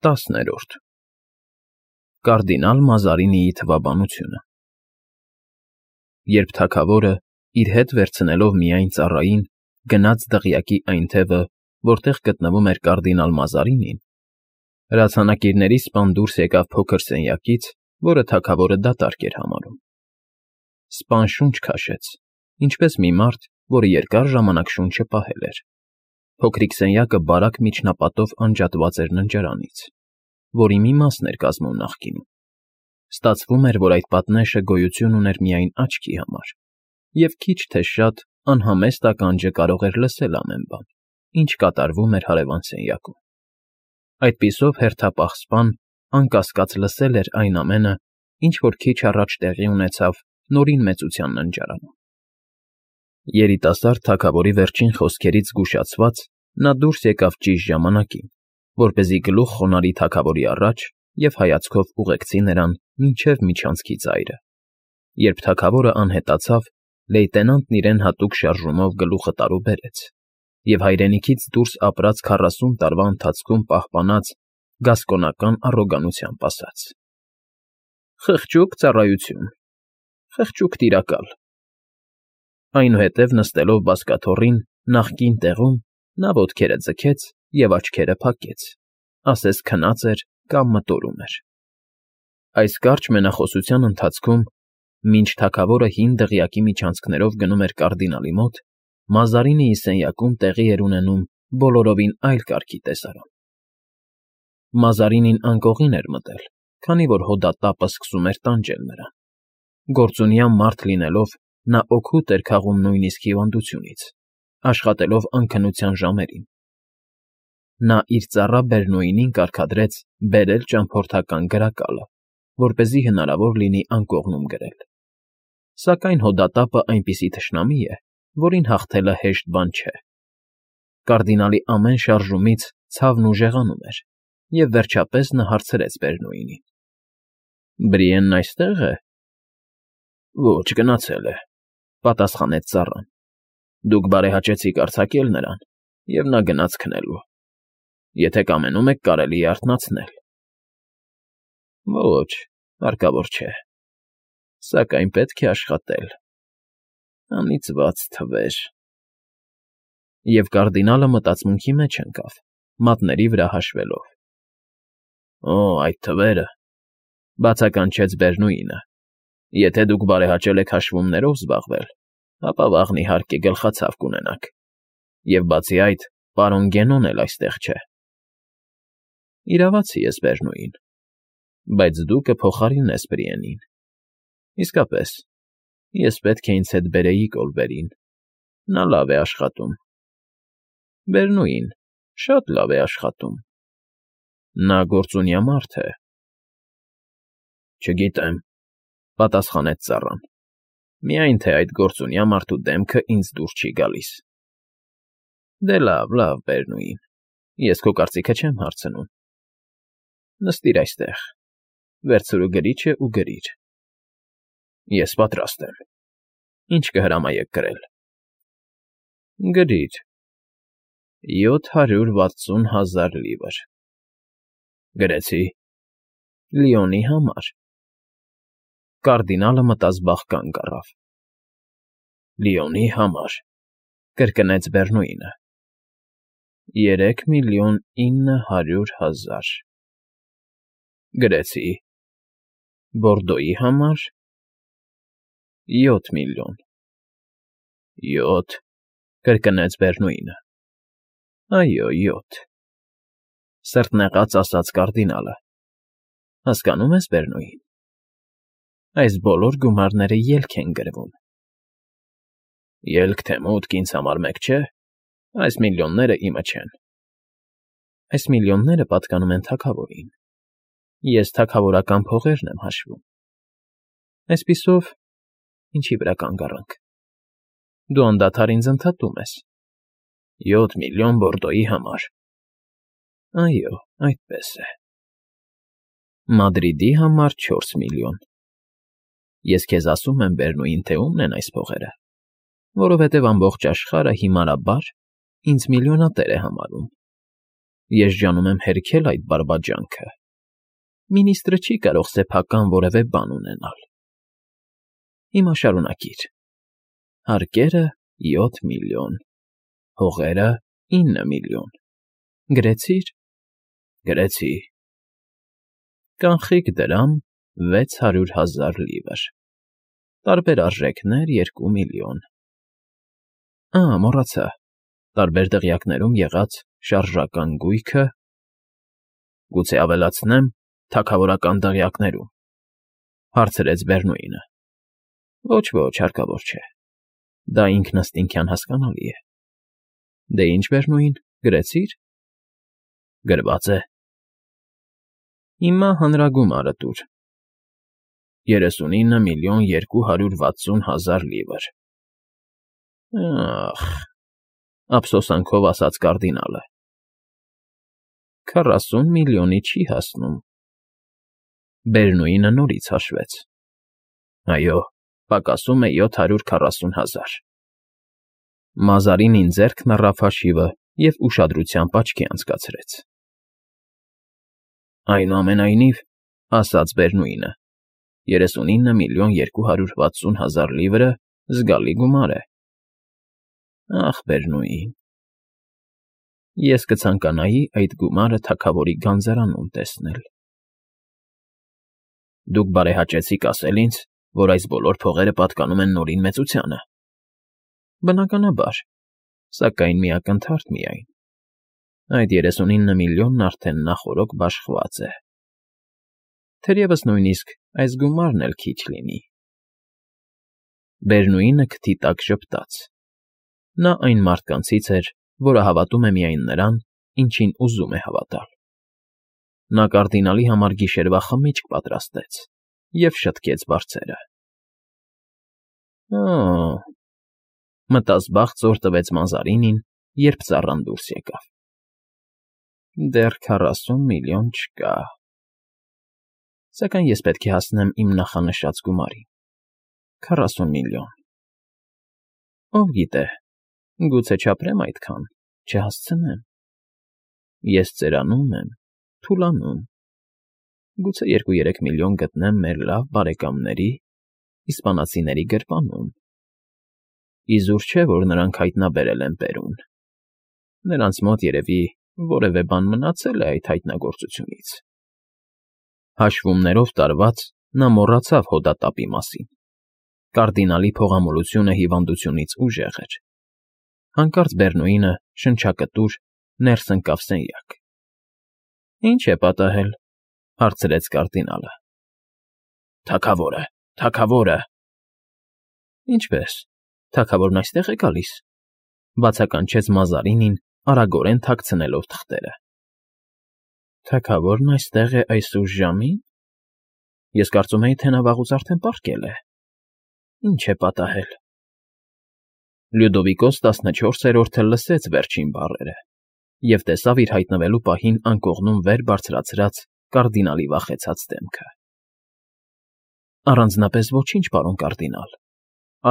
10-րդ Կարդինալ Մազարինիի թվաբանությունը Երբ թագավորը, իր հետ վերցնելով միայն ծառային, գնաց դղյակի այն թևը, որտեղ գտնվում էր կարդինալ Մազարինին, հրացանակիրների սպան դուրս եկավ փոքր սենյակից, որը թագավորը դատարկ էր համարում։ Սպան շունչ քաշեց, ինչպես մի մարդ, որը երկար ժամանակ շունչը պահել էր։ Փոքրիկ սենյակը բարակ միջնապատով անջատված էր ննջարանից, որի մի մասն էր կազմում նախկինում։ Ստացվում էր, որ այդ պատնեշը գոյություն ուներ միայն աչքի համար, և քիչ թե շատ անհամեստ ականջը կարող էր լսել ամեն բան, ինչ կատարվում էր հարևան սենյակում։ Այդպիսով հերթապահ սպան անկասկած լսել էր այն ամենը, ինչ որ քիչ առաջ տեղի ունեցավ Նորին Մեծության ննջարանում։ Երիտասարդ թագավորի վերջին խոսքերից զգուշացված՝ նա դուրս եկավ ճիշտ ժամանակին, որպեսզի գլուխ խոնարհի թագավորի առաջ և հայացքով ուղեկցի նրան մինչև միջանցքի ծայրը։ Երբ թագավորը անհետացավ, լեյտենանտն իրեն հատուկ շարժումով գլուխը տարուբերեց և հայրենիքից դուրս ապրած 40 տարվա ընթացքում պահպանած գասկոնական առոգանությամբ ասաց. «Խղճուկ ծառայություն, խղճուկ տիրակալ»։ Այնուհետև նստելով բազկաթոռին նախկին տեղում, նա ոտքերը ձգեց և աչքերը փակեց, ասես քնած էր կամ մտորում էր։ Այս կարճ մենախոսության ընթացքում, մինչ թագավորը հին դղյակի միջանցքներով գնում էր կարդինալի մոտ, Մազարինիի սենյակում տեղի էր ունենում բոլորովին այլ կարգի տեսարան։ Մազարինին անկողին էր մտել, քանի որ հոդատապը սկսում էր տանջել նրան։ Գործունյա մարդ լինելով, նա օգուտ էր քաղում նույնիսկ հիվանդությունից, աշխատելով անքնության ժամերին։ Նա իր ծառա Բերնոյին կարգադրեց բերել ճամփորդական գրակալը, որպեսզի հնարավոր լինի անկողնում գրել։ Սակայն հոդատապը այնպիսի թշնամի է, որին հաղթելը հեշտ բան չէ։ Կարդինալի ամեն շարժումից ցավն ուժեղանում էր, և վերջապես նա հարցրեց Բերնոյին. «Բրիենն այստե՞ղ է»։ «Ոչ, գնացել է», պատասխանեց ծառան։ «Դուք բարեհաճեցիք արձակել նրան, և նա գնաց քնելու։ Եթե կամենում եք, կարելի է արթնացնել»։ «Ոչ, հարկավոր չէ, սակայն պետք է աշխատել, անիծված թվեր»։ Եվ կարդինալը մտածմունքի մեջ ընկավ, մատների վրա հաշվելով։ «Օ, այդ թվերը», բացականչեց Բերնուինը։ «Եթե դուք բարեհաճել եք հաշվումներով զբաղվել, ապա վաղն իհարկե գլխացավ կունենաք, և բացի այդ, պարոն Գենոն էլ այստեղ չէ»։ «Իրավացի ես, Բերնուին, բայց դու կփոխարինես Բրիենին։ Իսկապես, ես պետք է ինձ հետ բերեի Կոլբերին, նա լավ է աշխատում»։ «Բերնուին շատ լավ է աշխատում։ Նա գործունյա մարդ է»։ «Չգիտեմ», պատասխանեց ծառան։ «Միայն թե այդ գործունյա մարդու դեմքը ինձ դուր չի գալիս»։ «Դե լավ, լավ, Բերնուին, ես քո կարծիքը չեմ հարցնում։ Նստիր այստեղ, վերցրու գրիչը ու գրիր»։ «Ես պատրաստ եմ։ Ինչ կհրամայեք գրել»։ «Գրիր. 760,000 լիվր»։ «Գրեցի»։ «Լիոնի համար»։ Կարդինալը մտազբաղ կանգ առավ։ «Լիոնի համար», կրկնեց Բերնուինը։ 3,900,000։ «Գրեցի»։ «Բորդոյի համար»։ 7 միլիոն։ 7, կրկնեց Բերնուինը։ «Այո, 7», սրտնեղած ասաց կարդինալը։ «Հասկանում ես, Բերնուին, այս բոլոր գումարները ելք են գրվում»։ «Ելք թե մուտք ինձ համար մեկ չէ, այս միլիոնները իմը չեն»։ «Այս միլիոնները պատկանում են թագավորին, ես թագավորական փողերն եմ հաշվում։ Այսպիսով, ինչի վրա կանգ առանք, դու անդադար ինձ ընդհատում ես։ 7 միլիոն Բորդոյի համար»։ «Այո, այդպես է»։ «Մադրիդի համար 4 միլիոն։ Ես քեզ ասում եմ, Բերնուին, թե ումն են այս փողերը, որովհետև ամբողջ աշխարհը հիմարաբար ինձ միլիոնատեր է համարում։ Ես ջանում եմ հերքել այդ բարբաջանքը։ Մինիստրը չի կարող սեփական որևէ բան ունենալ։ Հիմա շարունակիր։ Հարկերը 7 միլիոն, հողերը 9 միլիոն։ Գրեցի՞ր։ Գրեցի։ Կանխիկ դրամ 600,000 լիվր։ Տարբեր արժեքներ 2 միլիոն։ Մոռացա, տարբեր դղյակներում եղած շարժական գույքը, գուցե ավելացնեմ, թագավորական դղյակներում, հարցրեց Բերնուինը։ Ոչ, հարկավոր չէ։ Դա ինքնըստինքյան հասկանալի է։ Դե ինչ, Բերնուին, գրեցի՞ր։ Գրված է։ Հիմա հանրագումարը տուր։ 39 միլիոն 260,000 լիվր։ Ափսոսանքով ասաց կարդինալը։ 40 միլիոնի չի հասնում։ Բերնուինը նորից հաշվեց։ Այո, պակասում է 740,000։ Մազարինին ձեռքն առավ հաշիվը և ուշադրությամբ աչքի անցկացրեց։ Այնուամենայնիվ, ասաց Բերնուինը, 39 միլիոն 260,000 լիվրը զգալի գումար է։ Ախ, Բերնուին, ես կցանկանայի այդ գումարը թագավորի գանձարանում տեսնել։ Դուք բարեհաճեցիք ասել ինձ, որ այս բոլոր փողերը պատկանում են Նորին մեծությանը։ Բնականաբար, սակայն մի ակնթարթ միայն։ Այդ 39 միլիոնն արդեն նախօրոք բաշխված է։ Թերևս նույնիսկ այս գումարն էլ քիչ լինի։ Բերնուինը քթի տակ ժպտաց։ Նա այն մարդկանցից էր, որը հավատում է միայն նրան, ինչին ուզում է հավատալ։ Նա կարդինալի համար գիշերվա խմիչք պատրաստեց և շտկեց բարձերը։ Մտազբաղ տվեց Մազարինին, երբ ծառան դուրս եկավ։ Դեռ 40 միլիոն չկա։ Սակայն ես պետք է հասնեմ իմ նախանշած գումարին։ 40 միլիոն։ Ով գիտե, գուցե չապրեմ այդքան, չհասցնեմ։ Ես ծերանում եմ, թուլանում։ Գուցե 2-3 միլիոն գտնեմ մեր լավ բարեկամների, իսպանացիների գրպանում։ Իզուր չէ, որ նրանք հայտնաբերել են Պերուն։ Նրանց մոտ երևի որևէ բան մնացել է այդ հայտնագործությունից։ Հաշվումներով տարված նա մոռացավ հոդատապի մասին։ Կարդինալի փողամոլությունը հիվանդությունից ուժեղ էր։ Հանկարծ Բերնուինը շնչակտուր ներս ընկավ սենյակ։ Ինչ է պատահել, հարցրեց կարդինալը։ Թագավորը։ Ինչպե՞ս, թագավորն այստեղ է գալիս, բացականչեց Մազարինին, արագորեն թաքցնելով թղթերը։ Թագավորն այստեղ է այս ուշ ժամին։ Ես կարծում էի, թե նա վաղուց արդեն պառկել է։ Ինչ է պատահել։ Լյուդովիկոս 14-րդը լսեց վերջին բառերը և տեսավ իր հայտնվելու պահին անկողնում վեր բարձրացրած կարդինալի վախեցած դեմքը։ Առանձնապես ոչինչ, պարոն կարդինալ,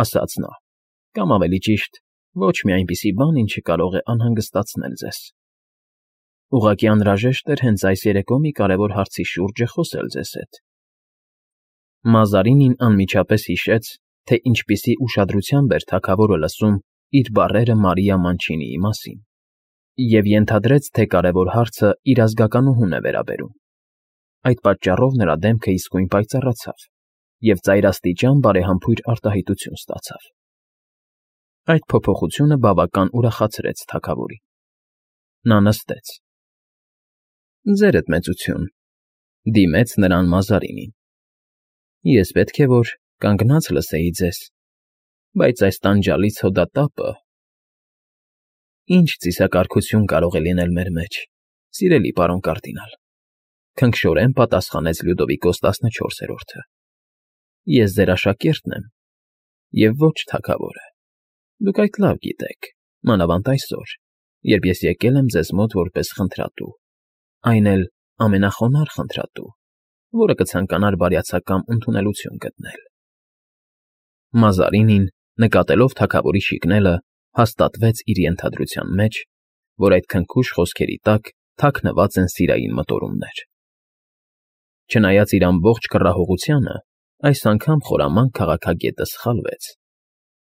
ասաց նա, կամ ավելի ճիշտ, ոչ մի այնպիսի բան, ինչը կարող է անհանգստացնել ձեզ։ Ուղղակի անհրաժեշտ էր հենց այս երեկո մի կարևոր հարցի շուրջը խոսել ձեզ հետ։ Մազարինին անմիջապես հիշեց, թե ինչպիսի ուշադրությամբ էր թագավորը լսում իր բառերը Մարիա Մանչինիի մասին, և ենթադրեց, թե կարևոր հարցը իր ազգականուհուն է վերաբերում։ Այդ պատճառով նրա դեմքը իսկույն պայծառացավ և ծայրաստիճան բարեհամբույր արտահայտություն ստացավ։ Այդ փոփոխությունը բավական ուրախացրեց թագավորին։ Նա նստեց։ Ձերդ մեծություն, դիմեց նրան Մազարինին։ Ես պետք է որ կանգնած լսեի ձեզ, բայց այս տանջալից հոդատապը… Ինչ ծիսակարգություն կարող է լինել մեր մեջ, սիրելի պարոն կարդինալ, քնքշորեն պատասխանեց Լյուդովիկոս 14-րդը։ Ես ձեր աշակերտն եմ և ոչ թագավորը։ Դուք այդ լավ գիտեք, մանավանդ այսօր, երբ ես եկել եմ ձեզ մոտ որպես խնդրատու, այն էլ ամենախոնարհ խնդրատու, որը կցանկանար բարյացակամ ընդունելություն գտնել։ Մազարինին, նկատելով թագավորի շիկնելը, հաստատվեց իր ենթադրության մեջ, որ այդ քնքուշ խոսքերի տակ թաքնված են սիրային մտորումներ։ Չնայած իր ամբողջ կռահողությանը, այս անգամ խորամանկ քաղաքագետը սխալվեց։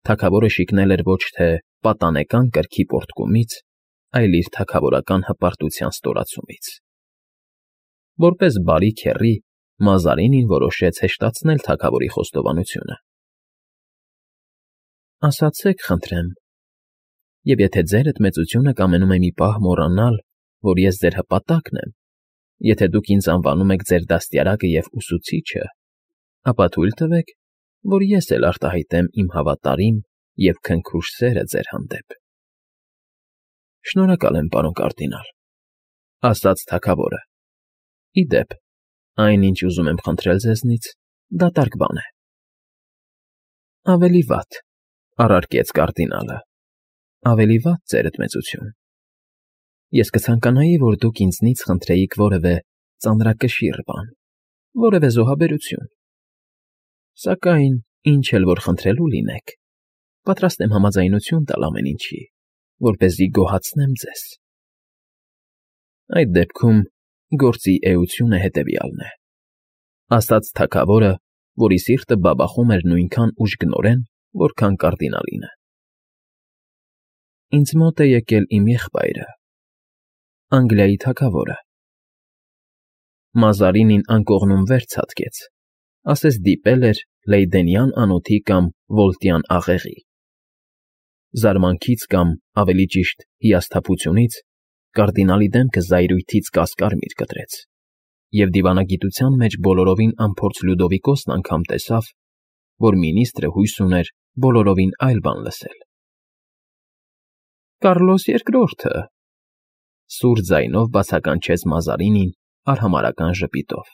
Թագավորը շիկնել էր ոչ թե պատանեկան կրքի պոռթկումից, այլ իր թագավորական հպարտության ստորացումից։ Որպես բարի քեռի, Մազարինին որոշեց հեշտացնել թագավորի խոստովանությունը։ Ասացեք, խնդրեմ, և եթե ձերդ մեծությունը կամենում է մի պահ մոռանալ, որ ես ձեր հպատակն եմ, եթե դուք ինձ անվանում եք ձեր դաստիարակը և ուսուցիչը, ապա թույլ տվեք, որ ես էլ արտահայտեմ իմ հավատարիմ և քնքուշ սերը ձեր հանդեպ։ Շնորհակալ եմ, պարոն կարդինալ, ասաց թագավորը։ Ի դեպ, այն, ինչ ուզում եմ խնդրել ձեզնից, դատարկ բան է։ Ավելի վատ, առարկեց կարդինալը, ավելի վատ, ձերդ մեծություն։ Ես կցանկանայի, որ դուք ինձնից խնդրեիք որևէ ծանրակշիռ բան, որևէ զոհաբերություն։ Սակայն, ինչ էլ որ խնդրելու լինեք, պատրաստ եմ համաձայնություն տալ ամեն ինչի, որպեսզի գոհացնեմ ձեզ։ Այդ դեպքում գործի էությունը հետևյալն է, ասաց թագավորը, որի սիրտը բաբախում էր նույնքան ուժգնորեն, որքան կարդինալինը։ Ինձ մոտ է եկել իմ եղբայրը, Անգլիայի թագավորը։ Մազարինին անկողնում վեր ցատկեց, ասես դիպել էր Լեյդենյան անոթի կամ Վոլտյան աղեղի։ Զարմանքից կամ, ավելի ճիշտ, հիասթափությունից կարդինալի դեմքը զայրույթից կասկարմիր կտրեց, և դիվանագիտության մեջ բոլորովին անփորձ Լյուդովիկոսն անգամ տեսավ, որ մինիստրը հույս ուներ բոլորովին այլ բան լսել։ Կարլոս II, սուր ձայնով բացականչեց Մազարինին արհամարհական ժպիտով։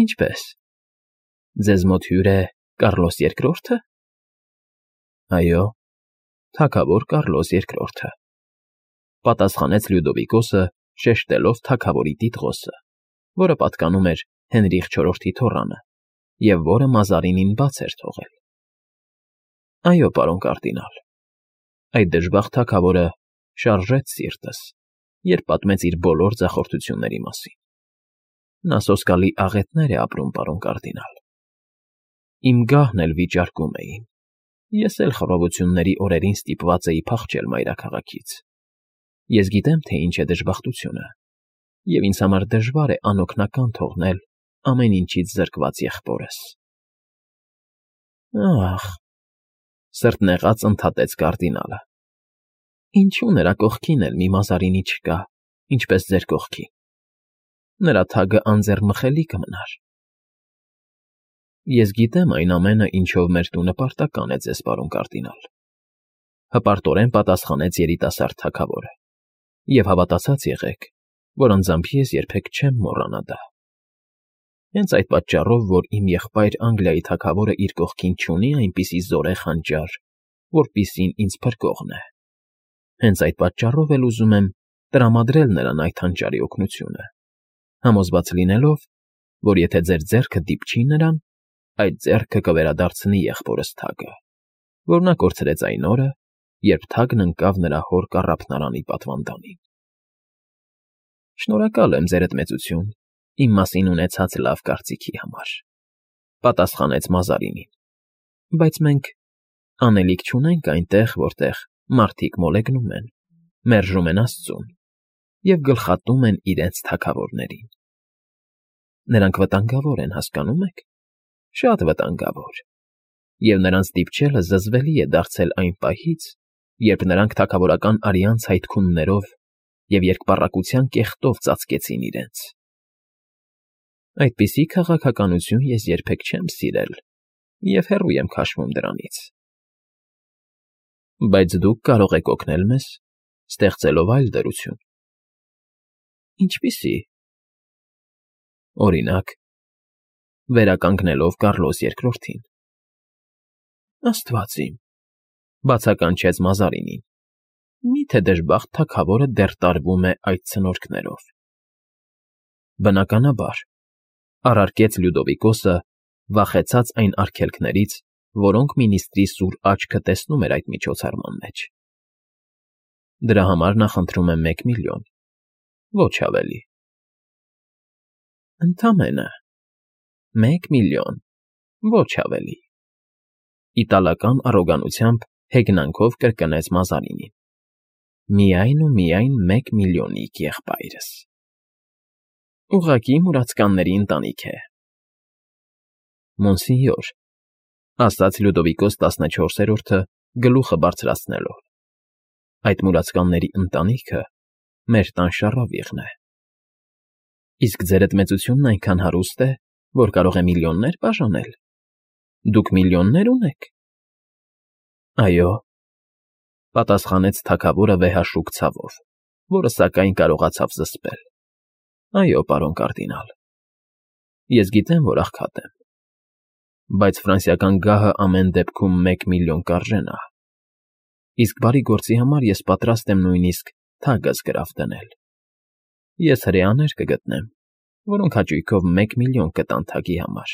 Ինչպե՞ս, ձեզ մոտ հյուր է Կարլոս II։ Այո, թագավոր Կարլոս II, պատասխանեց Լյուդովիկոսը, շեշտելով թագավորի տիտղոսը, որը պատկանում էր Հենրիխ IV-ի թոռանը, և որը Մազարինին բաց էր թողել։ Այո, պարոն կարդինալ, այդ դժբախտ թագավորը շարժեց սիրտս, երբ պատմեց իր բոլոր ձախորդությունների մասին։ Նա սոսկալի աղետներ է ապրում, պարոն կարդինալ։ Իմ գահն էլ վիճարկում էին, ես էլ խռովությունների օրերին ստիպված էի փախչել մայրաքաղաքից։ Ես գիտեմ, թե ինչ է դժբախտությունը, և ինձ համար դժվար է անօգնական թողնել ամեն ինչից զրկված եղբորս։ Ախ, սրտնեղած ընդհատեց կարդինալը, ինչու նրա կողքին էլ մի Մազարինի չկա, ինչպես ձեր կողքին։ Նրա թագը անձեռմխելի կմնար։ Ես գիտեմ այն ամենը, ինչով մեր տունը պարտական է ձեզ, պարոն կարդինալ, հպարտորեն պատասխանեց երիտասարդ թագավորը, և հավատացած եղեք, որ անձամբ ես երբեք չեմ մոռանա դա։ Հենց այդ պատճառով, որ իմ եղբայր Անգլիայի թագավորը իր կողքին չունի այնպիսի զորեղ հանճար, որպիսին ինձ փրկողն է։ Հենց այդ պատճառով էլ ուզում եմ տրամադրել նրան այդ հանճարի օգնությունը, համոզված լինելով, որ եթե ձեր ձեռքը դիպչի նրան, այդ ձեռքը կվերադարձնի եղբորս թագը, որ նա կորցրեց այն օրը, երբ թագն ընկավ նրա հոր կառափնարանի պատվանդանին։ Շնորհակալ եմ, ձերդ մեծություն, իմ մասին ունեցած լավ կարծիքի համար, պատասխանեց Մազարինին, բայց մենք անելիք չունենք այնտեղ, որտեղ մարդիկ մոլեգնում են, մերժում են Աստծուն և գլխատում են իրենց թագավորներին։ Նրանք վտանգավոր են, հասկանո՞ւմ եք, շատ վտանգավոր, և նրանց դիպչելը զզվելի է դարձել այն պահից, երբ նրանք թագավորական արյան ցայթքուններով և երկպառակտության կեղտով ծածկեցին իրենց։ Այդպիսի քաղաքականություն ես երբեք չեմ սիրել և հեռու եմ քաշվում դրանից։ Բայց դուք կարող եք օգնել մեզ, ստեղծելով այլ դրություն։ Ինչպիսի՞։ Օրինակ, վերականգնելով Կարլոս II-ին։ Աստված իմ, բացականչեց Մազարինին, մի՞թե դժբախտ թագավորը դեռ տարվում է այդ ցնորքներով։ Բնականաբար, առարկեց Լյուդովիկոսը, վախեցած այն արգելքներից, որոնք մինիստրի սուր աչքը տեսնում էր այդ միջոցառման մեջ։ Դրա համար նախընտրում եմ 1 միլիոն, Ոչ ավելի։ Ընդամենը 1,000,000, ոչ ավելի։ Իտալական առոգանությամբ հեգնանքով կրկնեց Մազարինին։ Միայն ու միայն 1,000,000-իկ եղբայրս։ Ուղղակի մուրացկանների ընտանիք է։ Մոնսինյոր, ասաց Լյուդովիկոս 14-րդը գլուխը բարձրացնելով։ Այդ մուրացկանների ընտանիքը մեր տան շառավիղն է։ Իսկ ձերդ մեծությունն այնքան հարուստ է, որ կարող է միլիոններ բաժանել։ Դուք միլիոններ ունեք։ Այո, պատասխանեց թագավորը վեհաշուկ ցավով, որը սակայն կարողացավ զսպել։ Այո, պարոն կարդինալ։ Ես գիտեմ, որ աղքատ եմ, բայց ֆրանսիական գահը ամեն դեպքում 1,000,000 կարժենա։ Իսկ բարի գործի համար ես պատրաստ եմ նույնիսկ թագս գրավ դնել։ Ես հրեաներ կգտնեմ, որոնք հաճույքով 1,000,000 կտան թագի համար։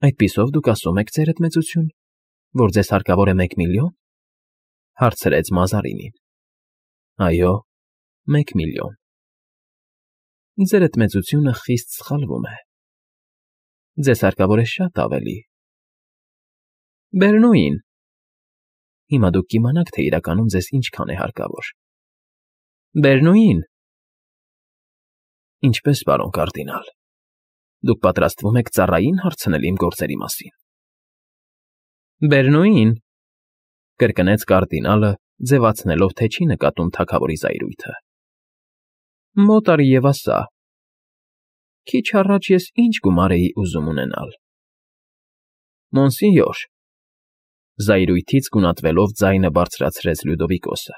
Այդպիսով դուք ասում եք, ձերդ մեծություն, որ ձեզ հարկավոր է 1,000,000, հարցրեց Մազարինին։ Այո, 1,000,000։ Ձերդ մեծությունը խիստ սխալվում է։ Ձեզ հարկավոր է շատ ավելի։ Բերնուին։ Հիմա դուք կիմանաք, թե իրականում ձեզ ինչքան է հարկավոր։ Բերնուին։ Ինչպես, պարոն կարդինալ, դուք պատրաստվում եք ծառային հարցնել իմ գործերի մասին։ Բերնուին, կրկնեց կարդինալը, ձևացնելով, թե չի նկատում թագավորի զայրույթը։ Մոտարի և ասա. Քիչ առաջ ես ինչ գումար էի ուզում ունենալ։ Մոնսինյոր, զայրույթից գունատվելով ձայնը բարձրացրեց Լյուդովիկոսը։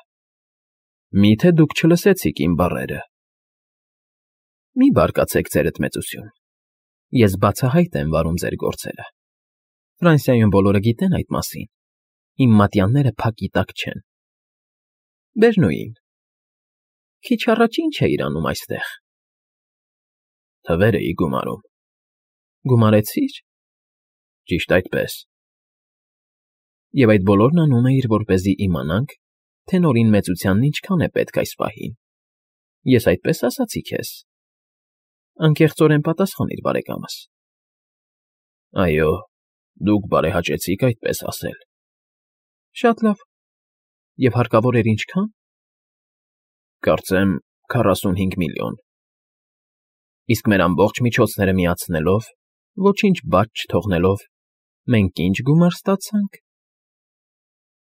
Միթե դուք չլսեցիք իմ բառերը։ Մի բարկացեք, ձերդ մեծություն։ Ես բացահայտ եմ վարում ձեր գործերը։ Ֆրանսիայում բոլորը գիտեն այդ մասին։ Իմ մատյանները փակի տակ չեն։ Բերնուին, քիչ առաջ ինչ էիր անում այստեղ։ Թվեր էի գումարում։ Գումարեցի՞ր։ Ճիշտ այդպես։ Եվ այդ բոլորն անում էիր, որպեսզի իմանանք, թե նորին մեծությանն ինչքան է պետք այս պահին։ Ես այդպես ասացի քեզ։ Անկեղծորեն պատասխանիր, բարեկամս։ Այո, դուք բարեհաճեցիք այդպես ասել։ Շատ լավ։ Եվ հարկավոր էր ինչքան։ Կարծեմ 45,000,000։ Իսկ մեր ամբողջ միջոցները միացնելով, ոչինչ բաց չթողնելով, մենք ինչ գումար ստացանք։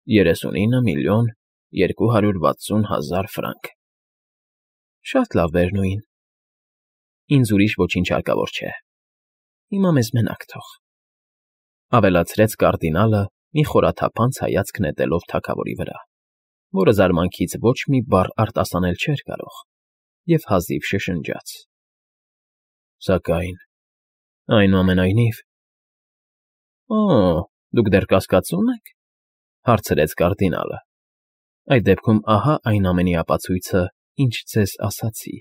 39,260,000 ֆրանկ։ Շատ լավ, Բերնուին։ Ինձ ուրիշ ոչինչ հարկավոր չէ։ Հիմա մեզ մենակ թող։ Ավելացրեց կարդինալը, մի խորաթափանց հայացք նետելով թագավորի վրա, որը զարմանքից ոչ մի բառ արտասանել չէր կարող, և հազիվ շշնջաց։ Սակայն, այնուամենայնիվ… Օ, դուք դեռ կասկածում եք, հարցրեց կարդինալը։ Այդ դեպքում ահա այն ամենի ապացույցը, ինչ ձեզ ասացի։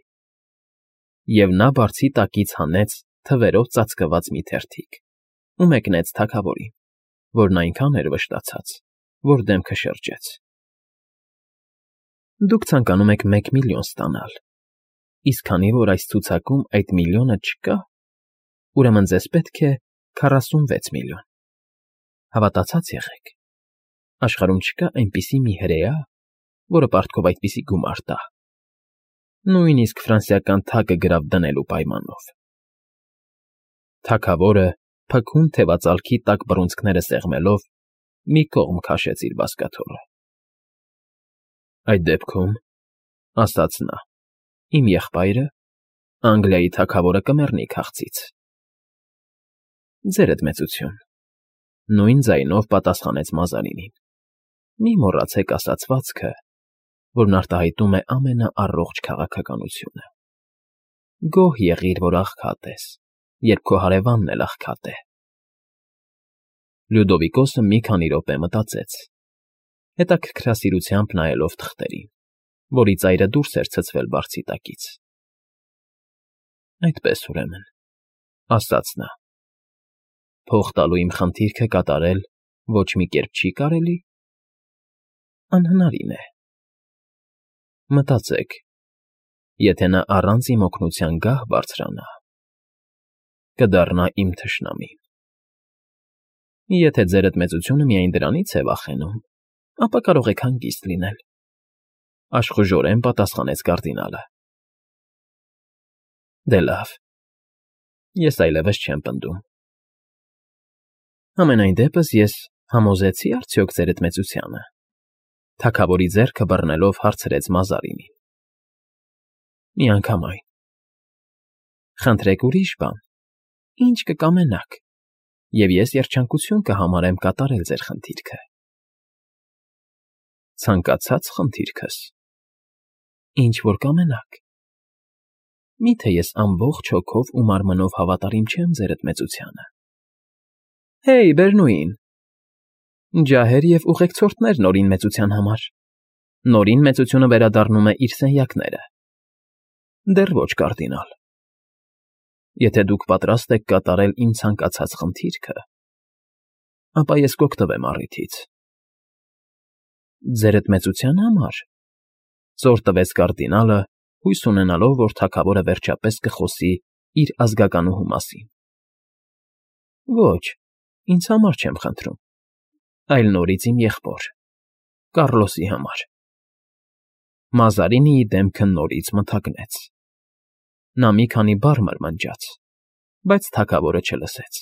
Եվ նա բարձի տակից հանեց թվերով ծածկված մի թերթիկ ու մեկնեց թագավորին, որն այնքան էր վշտացած, որ դեմքը շրջեց։ Դուք ցանկանում եք 1,000,000 ստանալ, իսկ քանի որ այս ցուցակում այդ միլիոնը չկա, ուրեմն ձեզ պետք է 46,000,000։ Հավատացած եղեք, աշխարհում չկա այնպիսի մի հրեա, որը պարտքով այդպիսի գումար տա։ Նույնիսկ ֆրանսիական թագը գրավ դնելու պայմանով։ Թագավորը փքուն թևածալքի տակ բռունցքները սեղմելով մի կողմ քաշեց իր բազկաթոռը։ Այդ դեպքում, ասաց նա, իմ եղբայրը, Անգլիայի թագավորը կմեռնի քաղցից։ Ձերդ մեծություն, նույն ձայնով պատասխանեց Մազարինին։ Մի մոռացեք ասացվածքը, որն արտահայտում է ամենաառողջ քաղաքականությունը։ Գոհ եղիր, որ աղքատ ես, երբ քո հարևանն էլ աղքատ է։ Լյուդովիկոսը մի քանի րոպե մտածեց, հետաքրքրասիրությամբ նայելով թղթերին, որի ծայրը դուրս էր ցցվել բարձի տակից։ Այդպես, ուրեմն, ասաց նա, փող տալու իմ խնդիրքը կատարել ոչ մի կերպ չի կարելի։ Անհնարին է։ Մտածեք, Եթե նա առանց իմ օգնության գահ բարձրանա, կդառնա իմ թշնամին։ Եթե ձերդ մեծությունը միայն դրանից է վախենում, ապա կարող եք հանգիստ լինել, աշխուժորեն պատասխանեց կարդինալը։ Դե լավ, ես այլևս չեմ պնդում։ Համենայն դեպս ես համոզեցի արդյոք ձերդ մեծությանը, թագավորի ձեռքը բռնելով հարցրեց Մազարինին։ Միանգամայն։ Խնդրեք ուրիշ բան, ինչ կկամենաք, և ես երջանկություն կհամարեմ կատարել ձեր խնդիրքը։ Ցանկացած խնդիրքս, ինչ որ կամենաք։ Միթե ես ամբողջ հոգով ու մարմնով հավատարիմ չեմ ձերդ մեծությանը։ Հեյ, Բերնուին, ջահեր և ուղեկցորդներ Նորին մեծության համար։ Նորին մեծությունը վերադառնում է իր սենյակները։ Դեռ ոչ, կարդինալ։ Եթե դուք պատրաստ եք կատարել իմ ցանկացած խնդիրքը, ապա ես կօգտվեմ առիթից։ Ձերդ մեծության համար, զոր տվեց կարդինալը, հույս ունենալով, որ թագավորը վերջապես կխոսի իր ազգականուհու մասին։ Ոչ, ինձ համար չեմ խնդրում, այլ նորից իմ եղբոր, Կառլոսի համար։ Մազարինիի դեմքը նորից մթագնեց։ Նա մի քանի բառ մրմնջաց, բայց թագավորը չլսեց։